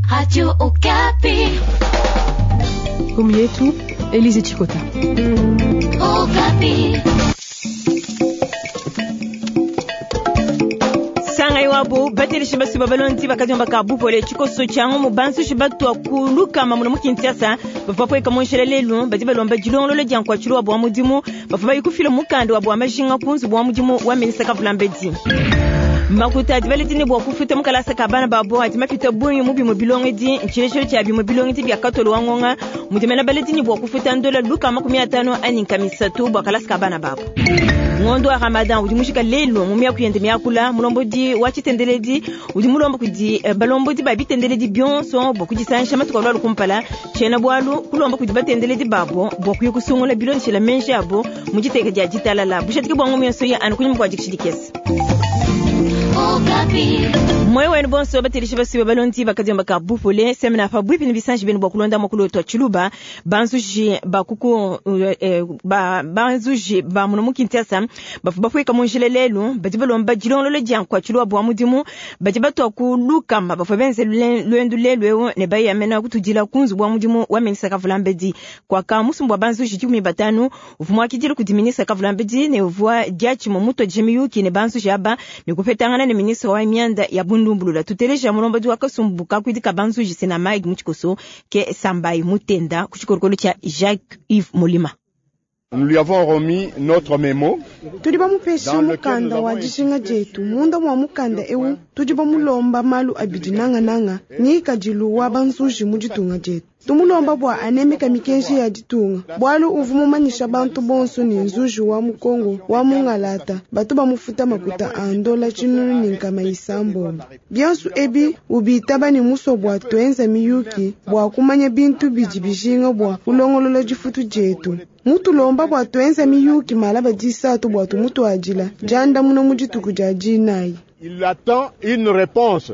Radio Okapi. Omu yetu Elise Chikota. Okapi. Sangai wabo bateleshi basuba balonzi bakadiomba ka bupole tshikoso tshiango mu banzushi batua kulukama muno mu Kinshasa bavua bapueka mu njila lelu badi balomba dilongolola dia nkuatshilu wabu wa mudimu bavua bayi kufila mukanda wabu wa majinga ku nzubu wa mudimu wa minista Kavulambedi. Makuta adi baledi ne bua kufuta mu kalasa ka bana babo adi mapita bungi mu bimue bilongedi. Ntshilejelu tshia bimue bilongedi bia katolo wa ngonga mudi mena baledi ne bua kufuta ndola 350 anyi 300 bua kalasa ka bana babo. Ngondo wa Ramadan udi mujika lelu mu miaku yende miakula. Mulombodi wa tshitendeledi udi mulomba kudi balombodi ba bitendeledi bionso bua kudisangisha matuku alualu kumpala. Tshiena bualu kulomba kudi batendeledi babo bua kuya kusungula bilondeshela menji abo mu diteka dia ditalala. Bujadiki bua ngomu yonso ya anu kunyima kua dikisha dikese. Moyo wenu bonso bateleshi basuba balondi bakadiomba ka bupole semina pa bwipi ni bisanji benu bua kulonda makulu twa tshiluba banzuji ba kuku ba banzuji ba muno mu Kinshasa bafu bafuika mu njila lelu badi balomba dilongolola dia nkuatshilu bua mudimu badi batua ku lukama bafua benze luendu lelu eu ne bayamena kutudila ku nzubu wa mudimu wa minista Kavulambedi kwaka musumbu wa banzuji 15 uvua muakidile kudi minista Kavulambedi ne uvua diatshimue mutuadije miyuki ne banzuji aba ne kupetangana ne ministre wa mianda ya bundumbulula. Tuteleja mulombodi wa kasumbu kakuidi ka banzuji sena Mike Mutshikoso ke Sambai Mutenda ku tshikolokolo tshia Jacques Yves Molima. Nous lui avons remis notre mémo. Tudi bamupesha mukanda wa dijinga dietu. Munda mwa mukanda eu tudi bamulomba malu abidi nangananga ngikadilu wa banzuji mu ditunga dietu. Tumulomba bua anemeka mikenji ya ditunga bualu uvua mumanyisha bantu bonso ne nzuji wa Mukongo wa Mungalata batu bamufuta makuta a ndola 1600. Bionso ebi ubitaba ne musua bua tuenza miyuki bua kumanya bintu bidi bijinga bua kulongolola difutu dietu. Mutulomba bua tuenza miyuki malaba disatu bua tumutuadila diandamuna mu dituku dia dinayi. Il attend une réponse.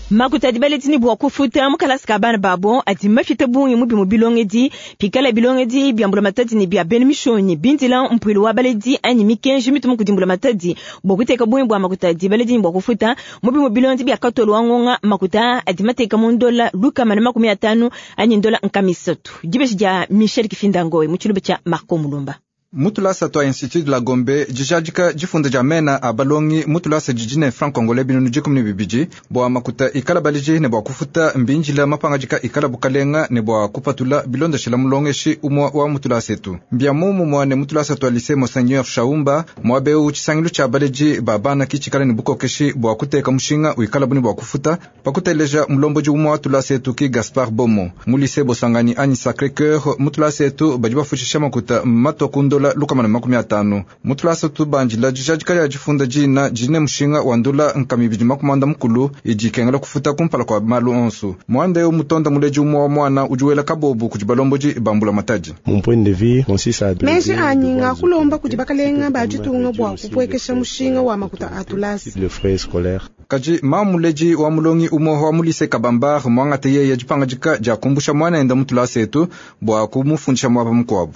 Makuta adi baledi ne bua kufuta mu kalasa ka bana babo adi mafita bungi mu bimue bilongedi pikala bilongedi bia mbulamatadi ne bia bena mishonyi bindila mpuilu wa baledi anyi mikenji mituma kudi mbulamatadi bua kuteka bungi bua makuta adi baledi ne bua kufuta mu bimue bilongedi bia katolo wa ngonga makuta adi mateka mu ndola 150 anyi ndola 300. Dibeji dia Michel Kifindangoe mu tshiluba tshia Marco Mulumba. Mutulasa twa Institut de la Gombe dijadika difunda dia mena a balongi mutulasa didi ne franc congolais 12,000 bua makuta ikala baliji ne bua kufuta mbinjila mapangadika ikala bukalenga ne bua kupatula bilondeshela mulongeshi umua wa mutulasa etu. Mbia mumumua ne mutulasa twa lycée Monseigneur Shaumba muabeu tshisangilu tshia baleji ba bana kitshikala ne bukokeshi bua kuteka mushinga wikala buni bua kufuta pakuteleja mulombodi umua wa tulasa etu ki Gaspard Bomo. Mu lycée Bosangani anyi Sacré Cœur mutulasa etu badi bafushisha makuta matwa ku ndola 150. Mutulasa tubandila dijadika dia difunda dina dine mushinga wa ndola 240 idi ikengela kufuta kumpala kua malu onso. Muanda eu mutonda muleji umua wa mwana udi wela kabobu kudi balombodi bambula matadi. Mon point de vue consiste à Meji anyi ngakulomba kudi bakalenga ba ditunga bua kupuekesha mushinga wa makuta a tulasa. Le frais scolaire. Kaji mamuleji wa mulongi umua wa mulise Kabambar mwangate yeye dipangadika dia kumbusha mwana enda mutulasa etu bua kumufundisha mwaba mukuabu.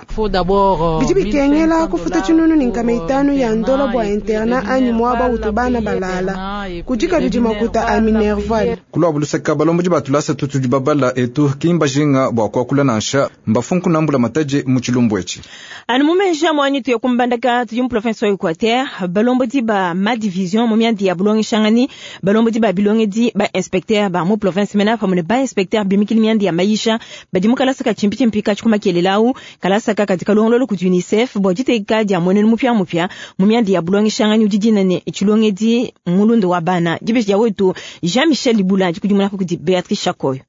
Bidi bikengela kufuta 1500 ya ndola bua interna anyi mwaba utu bana balala. Kudi kabidi makuta a Minerval. Kulwa buluseka balombodi ba tulasa tutudi babala etu kimba jinga bua kuakula nansha mbafunku nambula mataji mu tshilumbu etshi. Anu mumenja mwanyi tuye kumbandaka tudi mu province wa Equateur balombodi ba ma division mu miandi ya bulongeshangani balombodi ba bilongedi ba inspecteur ba mu province mena pamue ne ba inspecteur bimikili miandi ya maisha badi mu kalasa ka tshimpi ka tshikuma kelelau kalasa ka kadi kalongololo kudi UNICEF bua diteka dia mwenenu mupia mupia mu miandi ya bulongeshangani udi dina ne tshilongedi mulundu wa bana. Dibeji dia wetu Jean-Michel Libula dikudimuna kudi Beatrice Chakoyo.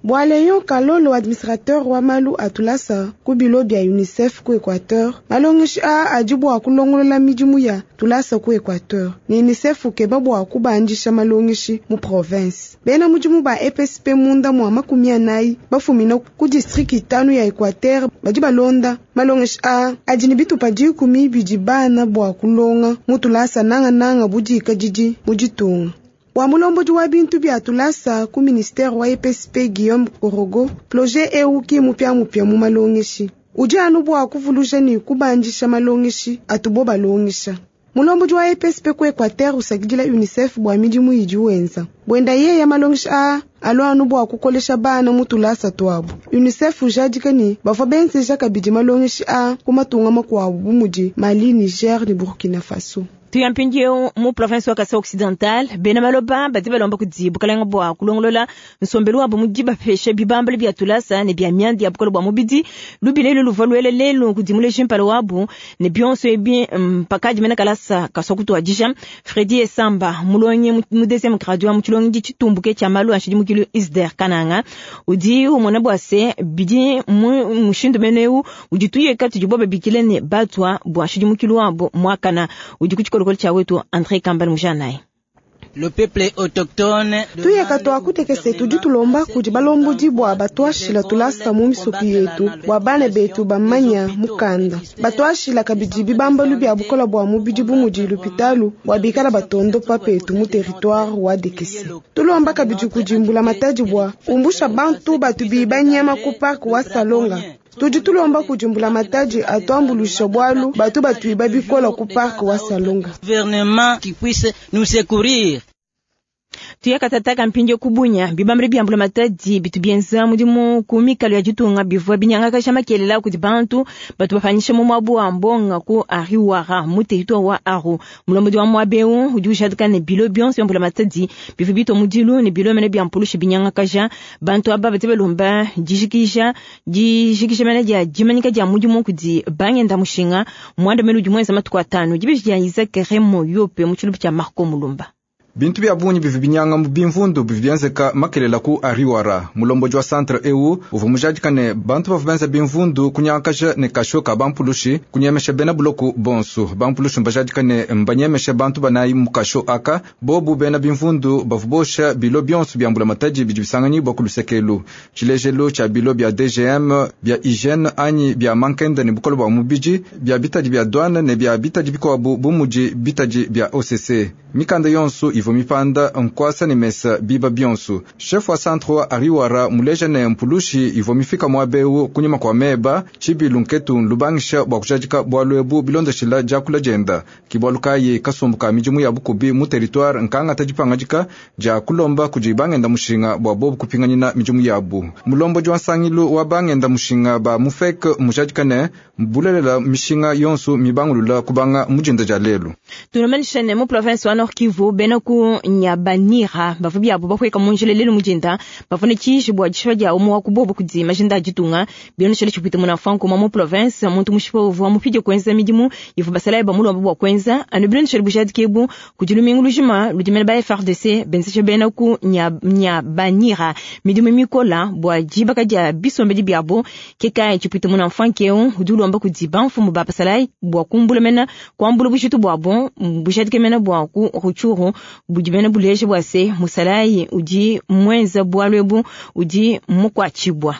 Bua Leon Kalolo administrateur wa malu a tulasa ku bilo bia UNICEF ku Equateur malongeshi a adi bua kulongolola midimu ya tulasa ku Equateur ne UNICEF ukeba bua kubandisha malongeshi mu province. Bena mudimu ba EPSP munda mua 40 bafumina ku district 5 ya Equateur badi balonda malongeshi a adi ne bitupa 10 bidi bana bua kulonga mu tulasa nangananga budika didi mu ditunga. Wa mulombodi wa bintu bia tulasa ku ministère wa EPSP Guillaume Korogo projet eu ki mupia mupia mu malongeshi udi anu bua kuvuluja ne kubandisha malongeshi atubo balongesha. Mulombodi wa EPSP ku Equateur usakidila UNICEF bua midimu idi wenza. Bwenda yeye malongesha a Alua anu bua kukolesha bana mu tulasa tuabu. UNICEF ujadika ne bavua benzeja kabidi malongeshi a ku matunga makuabu bu mudi Mali, Niger ne Burkina Faso. Tuya mpindieu mu province wa Kasai Occidental, bena maloba badi balomba kudi bukalenga bua kulongolola nsombelu wabo mu dibapesha bibambalu bia tulasa ne bia mianda ya bukole bua mubidi. Lubila elu luvua luele lelu kudi muleji mpala wabu ne bionso ebi mpakadi mena kalasa kasua kutuadija. Fredi Esamba mulongi mu deuxième grade wa mu tshilongedi tshitumbuke tshia malu a nshidimukilu Isder Kananga udi umona bua se bidi mu mushindu mene eu udi tuyeka tudibo babikile ne batwa bua nshidimukilu wabo muakana udi ku tshikolokolo tshia wetu André Kambal Mujanayi. Le peuple autochtone tuyeka twakutekese tudi tulomba kudi balombodi bua batuashila tulasa mu misoku yetu bua bana betu bamanya mukanda, batuashila kabidi bibambalu bia bukola bua mubidi bu mudi lupitalu bua bikala batondopa petu mu territoire wa Dekese. Tulomba kabidi kudimbula matadi bua umbusha bantu batu biba nyama ku park wa Salonga. Tudi tulomba kudimbula matadi atuambulusha bwalu batu batuiba bikola ku park wa Salonga. Gouvernement qui puisse nous secourir. Tuyakatataka mpindio kubunya bibambele byambula matadi bitu bienza mudimu ku mikalo ya ditunga bivua binyangakasha makelela kudi bantu batu bapanyisha mu mwabu wa mbonga ku Ariwara mu territoire wa Aru. Mulombodi wa mwabeu udi ujadika ne bilo bionso byambula matadi bivua bitwa mudilu ne bilo mene bya mpulusha binyangakaja bantu aba badi balomba dijikija dijikija mene dia dimanyika dia mudimu kudi bangenda mushinga mwanda mene udi mwenza matuku atanu dibeji dia Isaac Remo Yope mu tshilubu tshia Marco Mulumba. Bintu bya bungi bivi binyanga mu bimvundu bivi bienzeka makelela ku Ariwara. Mulomboji wa centre eu uvua mujadika ne bantu bavua benza bimvundu kunyangakaja ne kasho ka bampulushi kunyemesha bena buloku bonsu. Bampulushi mbajadika ne mbanyemesha bantu banayi mu kasho aka bobu bena bimvundu bavua bosha bilo bionso bya mbula matadi bidi bisanganyibwa ku lusekelu. Tshilejelu tshia bilo bya DGM bya hygiene anyi bya mankenda ne bukolo bua mubidi bya bitadi bya douane ne bya bitadi bikuabu bu mudi bitadi bya OCC. Mikanda yonso ivua mipanda nkwasa ne mesa biba bionso. Chef wa centre wa Ariwara muleja ne mpulushi ivua mifika mwabeu kunyuma kwa meba tshibilu nketu lubangisha bua kujadika bwalu ebu bilondeshila diakula dienda. Kibwalu kayi kasumbu ka midimu ya bukubi mu territoire nkangata dipangadika dia kulomba kudi bangenda mushinga bua bobu kupinganyina midimu yabu. Mulombodi wa nsangilu wa bangenda mushinga ba mufek mujadika ne bulelela mishinga yonso mibangulula kubanga mujinda dia lelu. Tunomanisha ne mu province wa Nord Kivu bena ku Nyabanira bavua byabo bakweka mu njila lelu mujinda bavua ne tshiji bua dishipa dia umwe wa kubobo kudi majinda a ditunga bilondeshele tshipwita muna franco mu province muntu mushipa uvua mupidie kuenza midimu ivua basalayi bamulomba bua kuenza anu bilondeshele bujadiki ebu kudi lumingu lujima ludimene ba FARDC benzesha bena ku Nyabanira midimu mikola bua dibaka dia bisombedi byabo kekayi tshipwita muna franco eu udi ulomba kudi bamfumu ba basalayi bua kumbula mena kuambula bujitu bwabo bujadiki mena bua ku Rutshuru budi bena buleje bua se musalayi udi mwenza bwalu ebu udi mukwatshibwa.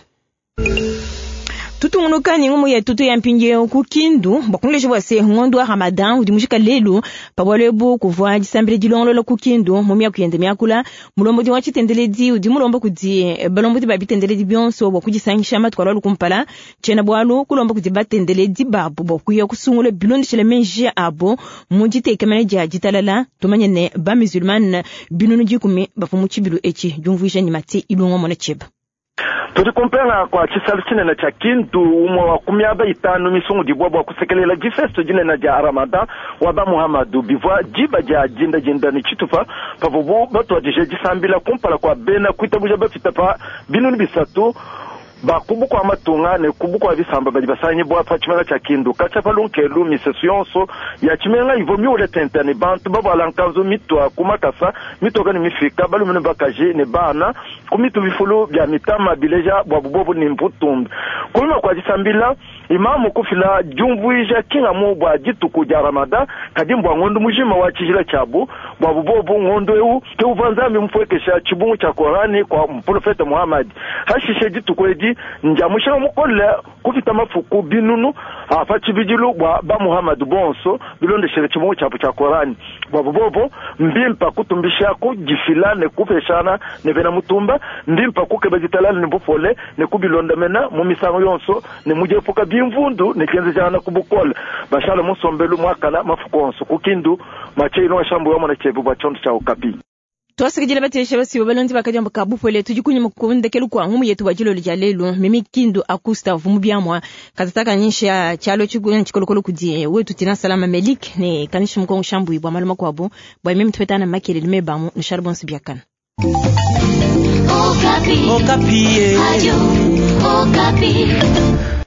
Tutungunuka ni ngumu yetu tu ya mpindieu ku Kindu bakunleje bua se ngondo wa Ramadan udi mujika lelu pa bwalu ebu kuvua disambila dilongolola ku Kindu mu miaku yende miakula mulombodi wa tshitendeledi udi mulomba kudi balombodi ba bitendeledi bionso bua kudisangisha matuku alua kumpala tshiena bwalu kulomba kudi batendeledi babu bua kuya kusungula bilondeshele menji abo mu ditekemena dia ditalala tumanye ne ba musulman binunu dikumi bavua mu tshibilu etshi diumvuija ni mati ilongo mona tshieba. Tudi kumpela kwa tshisalu tshinene tshia Kindu umwe wa kumiaba itanu misungu dibwa bua kusekelela difesto dinene dia Ramadan wa ba Muhammadu bivua diba dia dinda dinda ne tshitupa pavubu batuadije disambila kumpala kwa bena kuitabuja bafita pa binunu bisatu bakubu kwa matunga ne kubu kwa bisamba badi basanyibwa pa tshimenga tshia Kindu katshia pa lunkelu misesu yonso ya tshimenga ivua miule tente ne bantu bavuala nkanzu mitua ku makasa mitoka ne mifika balume ne bakaji ne bana ku mitu bifulu bia mitama bileja bua bubobu ne mputumbi. Kunyima kua disambila imamu kufila diumvuija kingamu bua dituku dia Ramadan kadi mbua ngondu mujima wa tshijila tshiabu bua bubobu ngondu eu ke uvua Nzambi mupwekesha tshibungu tshia Korani kwa mprofete Muhammad. Hashishe dituku edi ndia mushinga mukole kupita mafuku binunu apa tshibidilu bua ba Muhammad bonso bilondeshele tshibungu tshiabu tshia Korani bua bubobo mbimpa kutumbisha kudifila ne kupeshana ne bena mutumba mbimpa kukeba ditalala ne bupole ne kubilondamena mu misango yonso ne mudiepuka bimvundu ne kenzejana ku bukole bashala musombelu mwakana mafuku onso ku Kindu mache ino washambu wa mwana chebu bua tshiondo tshia Okapi. Twasakidila batesha basibo balondi bakadiamba ka bupole tudi kunyima kundekelu kwa ngumu yetu wa dilolo dia lelu mimi kindu akusta vumu biamwa katataka nyisha chalo chikunya chikolokolo kudi wetu tina salama melik ne kanisha mukongo shambu bwa maluma kwabo bwa mimi tupetana makelele mebamu nsharbon sibiakana. Okapi. Okapi. Radio Okapi.